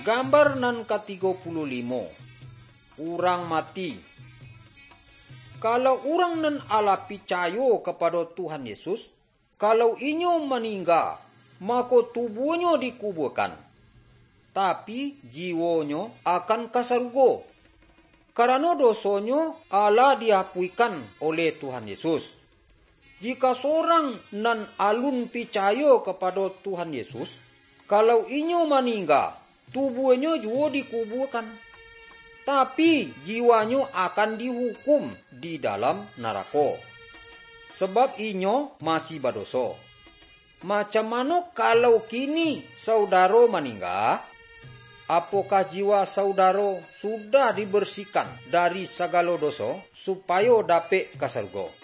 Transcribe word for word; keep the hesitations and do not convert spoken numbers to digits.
Gambar nan katigo puluah limo, urang mati. Kalau urang nan alah picayo kapado Tuhan Yesus, kalau inyo maningga, mako tubuahnyo dikubuakan, tapi jiwonyo akan ka sarugo, karano dosonyo alah diapuikan oleh Tuhan Yesus. Jika sorang nan alun picayo kapado Tuhan Yesus, kalau inyo maningga, tubuahnyo juo dikubuakan, tapi jiwanyo akan dihukum di dalam narako, sabab inyo masih badoso. Macam mano kalau kini saudaro maningga? Apokah jiwa saudaro sudah dibersihkan dari sagalo doso, supayo dapek ka sarugo?